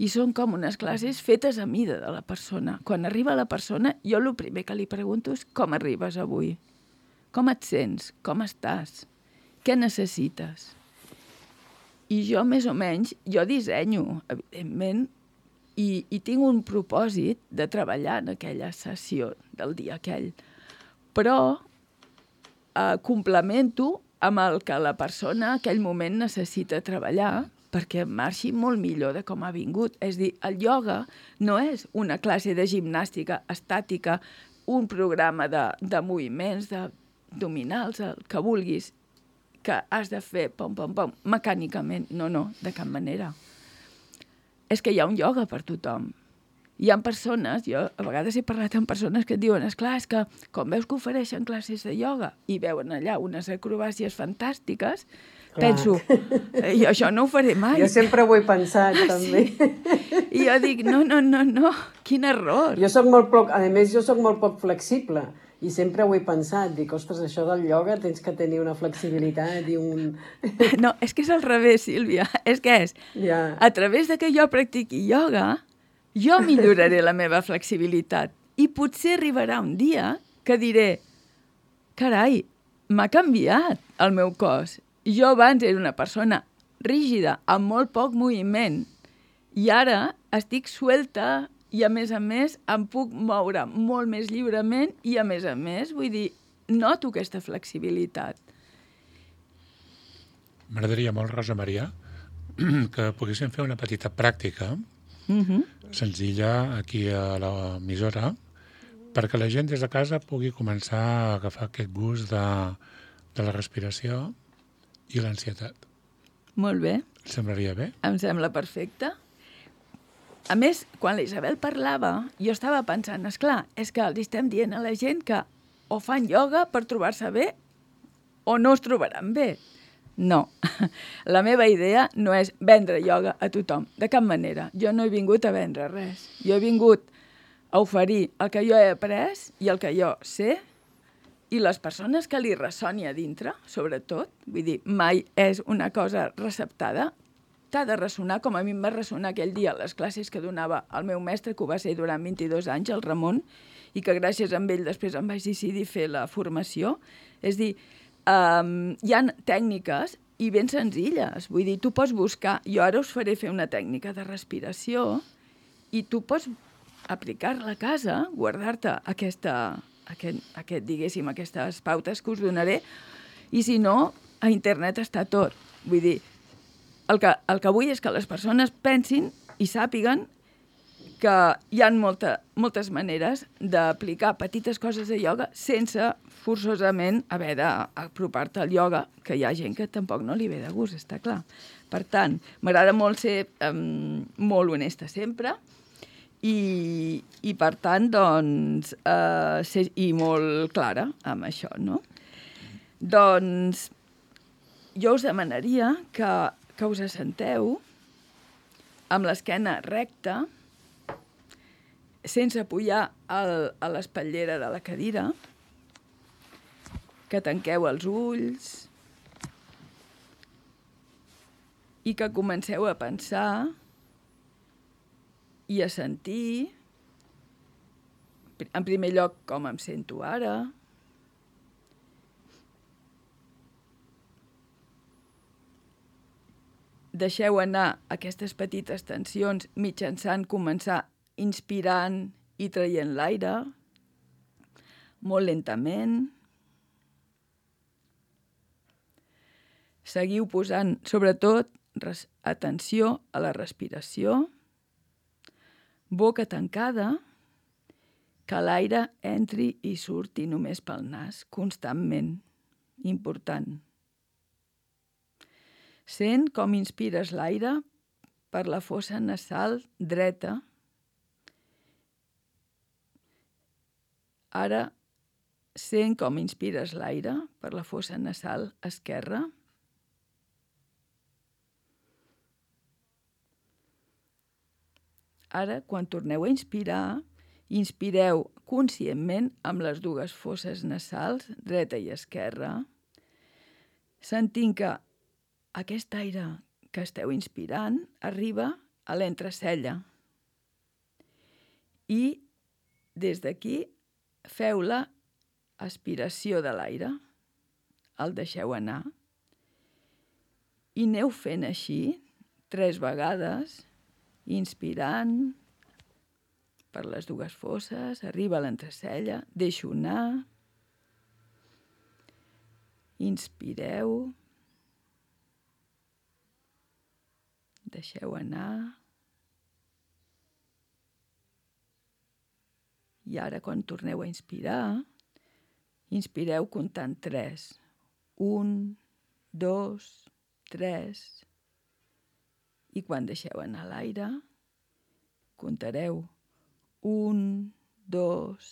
I són com unes classes fetes a mida de la persona. Quan arriba la persona, jo el primer que li pregunto és com arribes avui? Com et sents? Com estàs? Què necessites? I jo, més o menys, jo dissenyo, evidentment, i tinc un propòsit de treballar en aquella sessió del dia aquell. Però complemento amb el que la persona en aquell moment necessita treballar perquè marxi molt millor de com ha vingut. És a dir, el ioga no és una classe de gimnàstica estàtica, un programa de moviments, d'abdominals, el que vulguis, que has de fer pom, pom, pom, mecànicament. No, de cap manera. És que hi ha un ioga per tothom. Hi ha persones, jo a vegades he parlat amb persones que et diuen, esclar, és que com veus que ofereixen classes de ioga i veuen allà unes acrobàcies fantàstiques, penso, jo això no ho faré mai. Jo sempre ho he pensat, també. Sí. I jo dic, no, quin error. A més, jo soc molt poc flexible i sempre ho he pensat. Dic, ostres, això del ioga tens que tenir una flexibilitat i un... No, és que és al revés, Sílvia. És que a través de que jo practiqui ioga, jo milloraré la meva flexibilitat. I potser arribarà un dia que diré, carai, m'ha canviat el meu cos. Jo abans era una persona rígida, amb molt poc moviment, i ara estic suelta i, a més, em puc moure molt més lliurement i, a més, vull dir, noto aquesta flexibilitat. M'agradaria molt, Rosa Maria, que poguéssim fer una petita pràctica senzilla aquí a l'emissora perquè la gent des de casa pugui començar a agafar aquest gust de la respiració i l'ansietat. Molt bé. Et semblaria bé? Em sembla perfecte. A més, quan la Isabel parlava, jo estava pensant, esclar, és que els estem dient a la gent que o fan ioga per trobar-se bé o no es trobaran bé. No, la meva idea no és vendre ioga a tothom, de cap manera. Jo no he vingut a vendre res. Jo he vingut a oferir el que jo he après i el que jo sé i les persones que li ressoni a dintre, sobretot. Vull dir, mai és una cosa receptada. T'ha de ressonar com a mi em va ressonar aquell dia a les classes que donava el meu mestre, que ho va ser durant 22 anys, el Ramon, i que gràcies a ell després em vaig decidir fer la formació. És dir, hi ha tècniques i ben senzilles. Vull dir, tu pots buscar... Jo ara us faré fer una tècnica de respiració i tu pots aplicar-la a casa, guardar-te diguéssim, aquestes pautes que us donaré, i si no, a internet està tot. Vull dir, el que vull és que les persones pensin i sàpiguen que hi ha moltes maneres d'aplicar petites coses de ioga sense forçosament haver d'apropar-te al ioga, que hi ha gent que tampoc no li ve de gust, està clar. Per tant, m'agrada molt ser molt honesta sempre i per tant, doncs, ser molt clara amb això, no? Doncs jo us demanaria que us assenteu amb l'esquena recta, sense apoyar a l'espatllera de la cadira, que tanqueu els ulls i que comenceu a pensar i a sentir, en primer lloc, com em sento ara, deixeu anar aquestes petites tensions mitjançant començar inspirant i traient l'aire, molt lentament. Seguiu posant, sobretot, atenció a la respiració, boca tancada, que l'aire entri i surti només pel nas, constantment. Important. Sent com inspires l'aire per la fossa nasal dreta. Ara sent com inspires l'aire per la fossa nasal esquerra. Ara, quan torneu a inspirar, inspireu conscientment amb les dues fosses nasals, dreta i esquerra, sentint que aquest aire que esteu inspirant arriba a l'entrecella. I des d'aquí feu la aspiració de l'aire, el deixeu anar, i aneu fent així 3 vegades, inspirant per les dues fosses, arriba a l'entrecella, deixo anar, inspireu, deixeu anar, i ara quan torneu a inspirar, inspireu comptant 3. 1, 2, 3, i quan deixeu anar l'aire, comptareu 1, 2,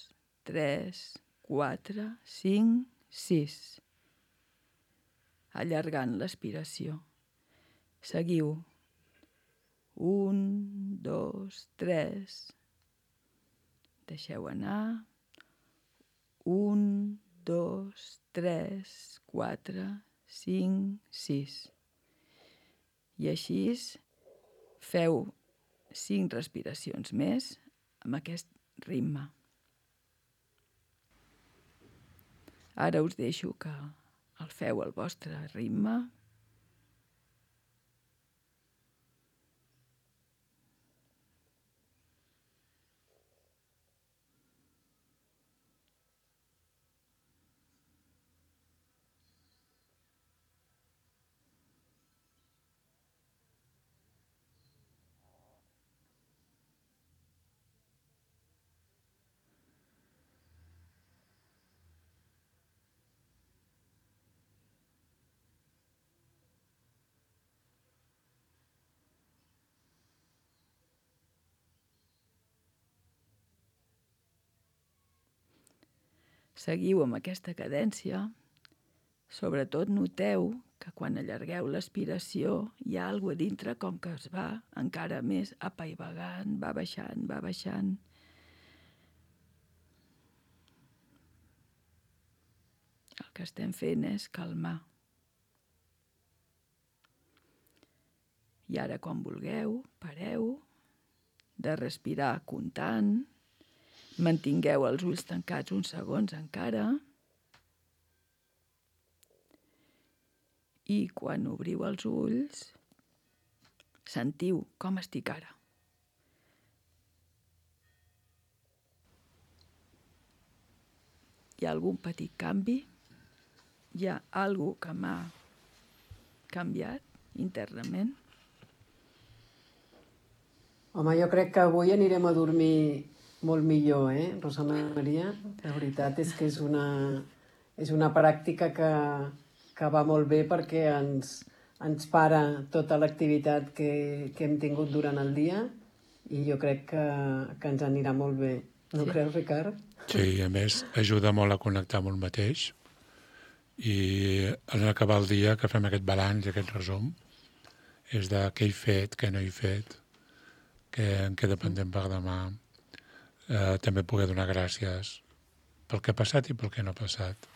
3, 4, 5, 6. Allargant l'aspiració. Seguiu. 1, 2, 3. Deixeu anar. 1, 2, 3, 4, 5, 6. I així feu 5 respiracions més amb aquest ritme. Ara us deixo que el feu al vostre ritme. Seguiu amb aquesta cadència. Sobretot noteu que quan allargueu l'aspiració hi ha alguna cosa a dintre com que es va encara més apaivagant, va baixant, va baixant. El que estem fent és calmar. I ara, quan vulgueu, pareu de respirar comptant. Mantingueu els ulls tancats uns segons encara. I quan obriu els ulls, sentiu com estic ara. Hi ha algun petit canvi? Hi ha alguna que m'ha canviat internament? Home, jo crec que avui anirem a dormir molt millor, Rosa Maria? La veritat és que és una pràctica que va molt bé perquè ens para tota l'activitat que hem tingut durant el dia i jo crec que ens anirà molt bé. No creus, Ricard? Sí, a més, ajuda molt a connectar amb un mateix i en acabar el dia que fem aquest balanç i aquest resum és de què he fet, què no he fet, en què dependem per demà. També poder donar gràcies pel que ha passat i pel que no ha passat.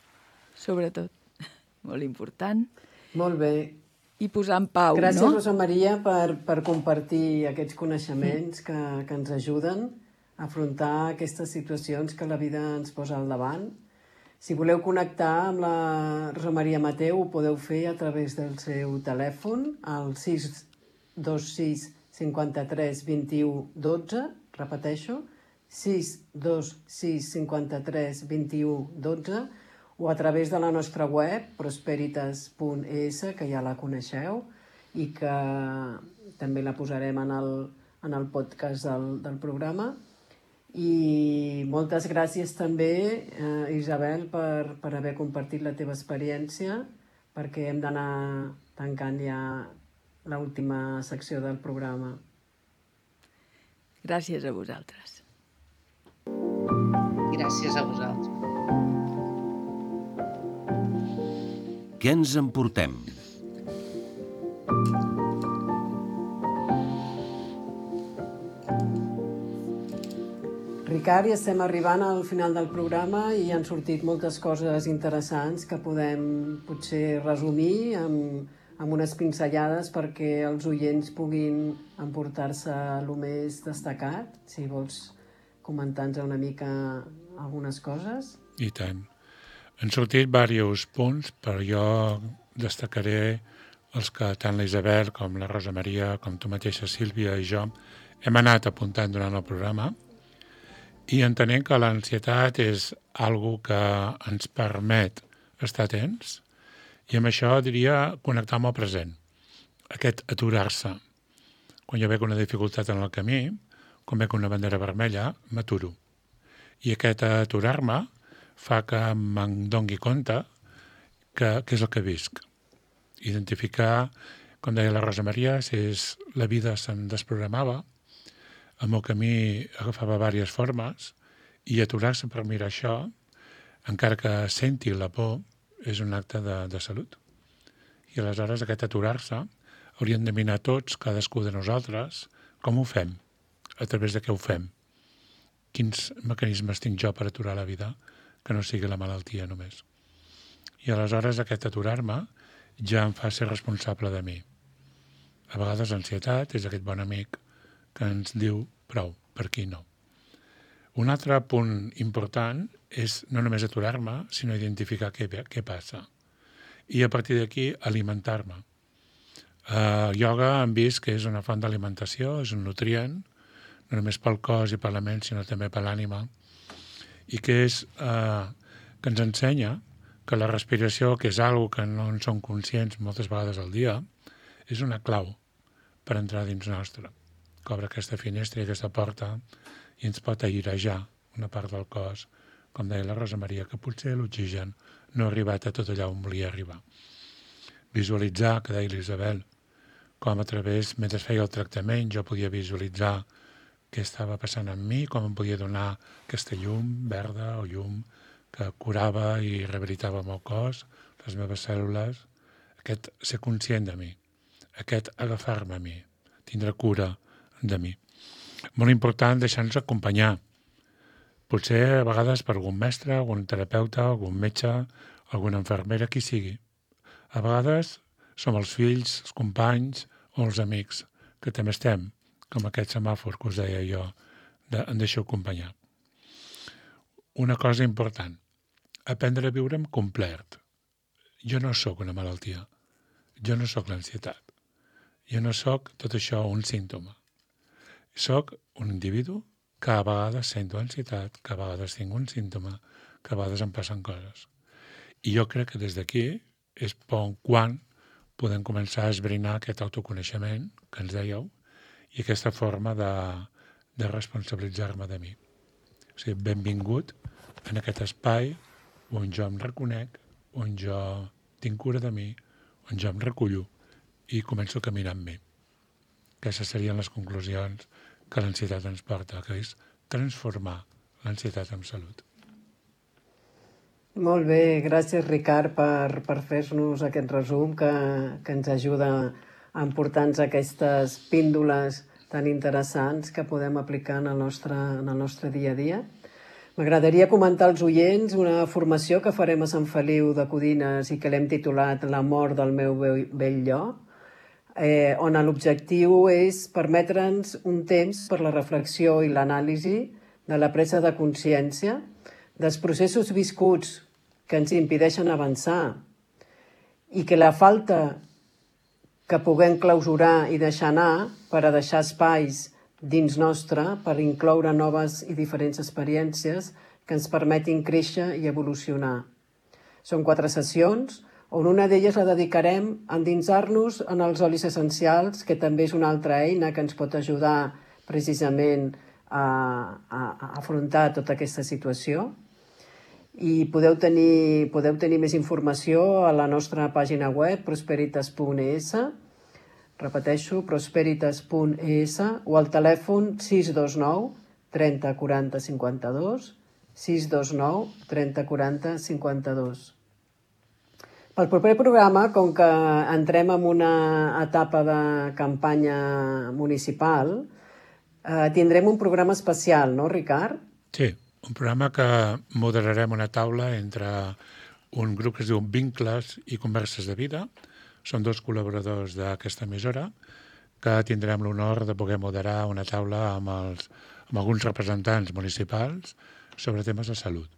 Sobretot, molt important. Molt bé. I posar en pau, Gràcies, no? Rosa Maria, per compartir aquests coneixements que ens ajuden a afrontar aquestes situacions que la vida ens posa al davant. Si voleu connectar amb la Rosa Maria Mateu, ho podeu fer a través del seu telèfon, al 626 53 21 12, repeteixo, 626 53 21 12, o a través de la nostra web, prosperitas.es, que ja la coneixeu, i que també la posarem en el podcast del programa. I moltes gràcies també, Isabel, per haver compartit la teva experiència, perquè hem d'anar tancant ja l'última secció del programa. Gràcies a vosaltres. Gràcies a vosaltres. Què ens emportem? Ricard, ja estem arribant al final del programa i han sortit moltes coses interessants que podem potser resumir amb unes pinzellades perquè els oients puguin emportar-se el més destacat. Si vols comentar-nos una mica algunes coses. I tant. Han sortit diversos punts, però jo destacaré els que tant la Isabel com la Rosa Maria, com tu mateixa, Sílvia i jo, hem anat apuntant durant el programa i entenent que l'ansietat és algo que ens permet estar atents i amb això diria connectar amb el present, aquest aturar-se. Quan jo veig una dificultat en el camí, quan veig una bandera vermella, m'aturo. I aquest aturar-me fa que me'n doni compte que és el que visc. Identificar, com deia la Rosa Maria, si la vida se'm desprogramava, el meu camí agafava diverses formes i aturar-se per mirar això, encara que senti la por, és un acte de salut. I aleshores aquest aturar-se hauríem de mirar tots, cadascú de nosaltres, com ho fem, a través de què ho fem. Quins mecanismes tinc jo per aturar la vida, que no sigui la malaltia només. I aleshores aquest aturar-me ja em fa ser responsable de mi. A vegades l'ansietat és aquest bon amic que ens diu prou, per aquí no. Un altre punt important és no només aturar-me, sinó identificar què passa. I a partir d'aquí alimentar-me. Ioga hem vist que és una font d'alimentació, és un nutrient, no només pel cos i per la ment, sinó també per l'ànima, i que ens ensenya que la respiració, que és algo que no en som conscients moltes vegades al dia, és una clau per entrar dins nostre. Que obre aquesta finestra i aquesta porta i ens pot airejar una part del cos, com deia la Rosa Maria, que potser l'oxigen no ha arribat a tot allà on volia arribar. Visualitzar, que deia l'Isabel, com a través, mentre feia el tractament, jo podia visualitzar què estava passant amb mi, com em podia donar aquesta llum verda o llum que curava i rehabilitava el meu cos, les meves cèl·lules, aquest ser conscient de mi, aquest agafar-me a mi, tindre cura de mi. Molt important deixar-nos acompanyar. Potser a vegades per algun mestre, algun terapeuta, algun metge, alguna infermera, qui sigui. A vegades som els fills, els companys o els amics, que també estem, com aquest semàfor que us deia jo, em deixo acompanyar. Una cosa important, aprendre a viure amb complet. Jo no sóc una malaltia. jo no sóc l'ansietat. Jo no sóc tot això un símptoma. Sóc un individu que a vegades sento ansietat, que a vegades tinc un símptoma, que a vegades em passen coses. I jo crec que des d'aquí és quan podem començar a esbrinar aquest autoconeixement que ens dèieu i aquesta forma de responsabilitzar-me de mi. O sigui, benvingut en aquest espai on jo em reconec, on jo tinc cura de mi, on jo em recullo i començo a caminar amb mi. Aquestes serien les conclusions que l'ansietat ens porta, que és transformar l'ansietat en salut. Molt bé, gràcies Ricard per fer-nos aquest resum que ens ajuda a emportar-nos aquestes píndoles tan interessants que podem aplicar en el nostre dia a dia. M'agradaria comentar als oients una formació que farem a Sant Feliu de Codines i que l'hem titulat La mort del meu vell jo, on l'objectiu és permetre'ns un temps per la reflexió i l'anàlisi de la presa de consciència dels processos viscuts que ens impedeixen avançar i que la falta que puguem clausurar i deixar anar per a deixar espais dins nostre per incloure noves i diferents experiències que ens permetin créixer i evolucionar. Són 4 sessions, on una d'elles la dedicarem a endinsar-nos en els olis essencials, que també és una altra eina que ens pot ajudar precisament a afrontar tota aquesta situació. I podeu tenir més informació a la nostra pàgina web, prosperitas.es, repeteixo, prosperitas.es, o al telèfon 629 30 40 52, 629 30 40 52. Pel proper programa, com que entrem en una etapa de campanya municipal, tindrem un programa especial, no, Ricard? Sí, un programa que moderarem una taula entre un grup que es diu Vincles i Converses de Vida. Són 2 col·laboradors d'aquesta emissora que tindrem l'honor de poder moderar una taula amb alguns representants municipals sobre temes de salut.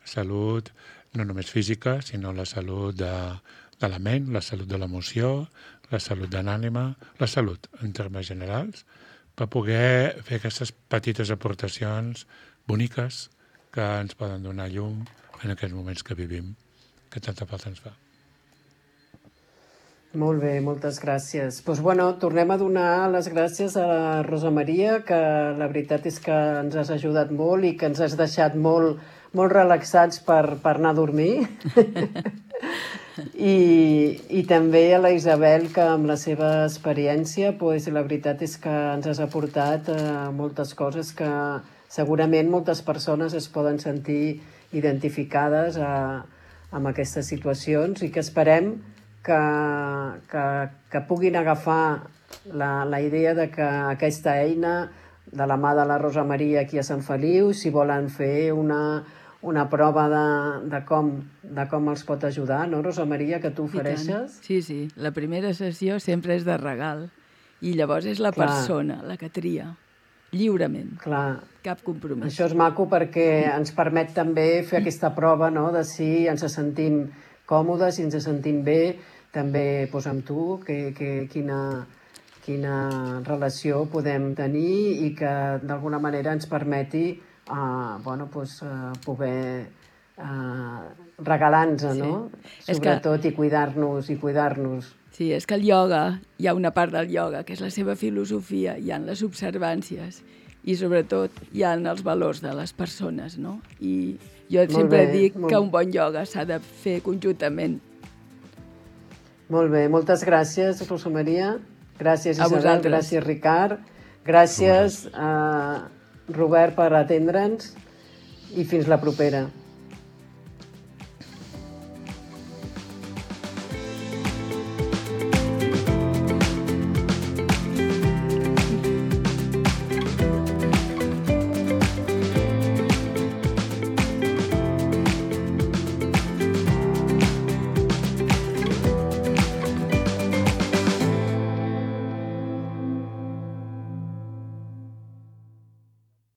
Salut no només física, sinó la salut de la ment, la salut de l'emoció, la salut de l'ànima, la salut en termes generals, per poder fer aquestes petites aportacions boniques que ens poden donar llum en aquests moments que vivim, que tanta falta ens fa. Molt bé, moltes gràcies. Doncs, tornem a donar les gràcies a la Rosa Maria, que la veritat és que ens has ajudat molt i que ens has deixat molt relaxats per anar a dormir. I també a la Isabel, que amb la seva experiència, la veritat és que ens has aportat moltes coses que segurament moltes persones es poden sentir identificades amb aquestes situacions i que esperem que puguin agafar la idea de que aquesta eina de la mà de la Rosa Maria aquí a Sant Feliu, si volen fer una prova de com els pot ajudar, no, Rosa Maria, que tu ofereixes? Sí, la primera sessió sempre és de regal i llavors és la persona la que tria, lliurement. Clar. Cap compromís. Això és maco perquè ens permet també fer aquesta prova, no?, de si ens sentim còmodes, si ens sentim bé, també amb tu, quina relació podem tenir i que d'alguna manera ens permeti poder regalar-nos, no? Sobretot, i cuidar-nos. Sí, és que el ioga, hi ha una part del ioga, que és la seva filosofia, hi ha les observàncies i sobretot hi ha els valors de les persones, no? I jo sempre dic que un bon ioga s'ha de fer conjuntament. Molt bé, moltes gràcies, Rosa Maria. Gràcies, Isabel. Gràcies, Ricard. Gràcies, Robert, per atendre'ns i fins la propera.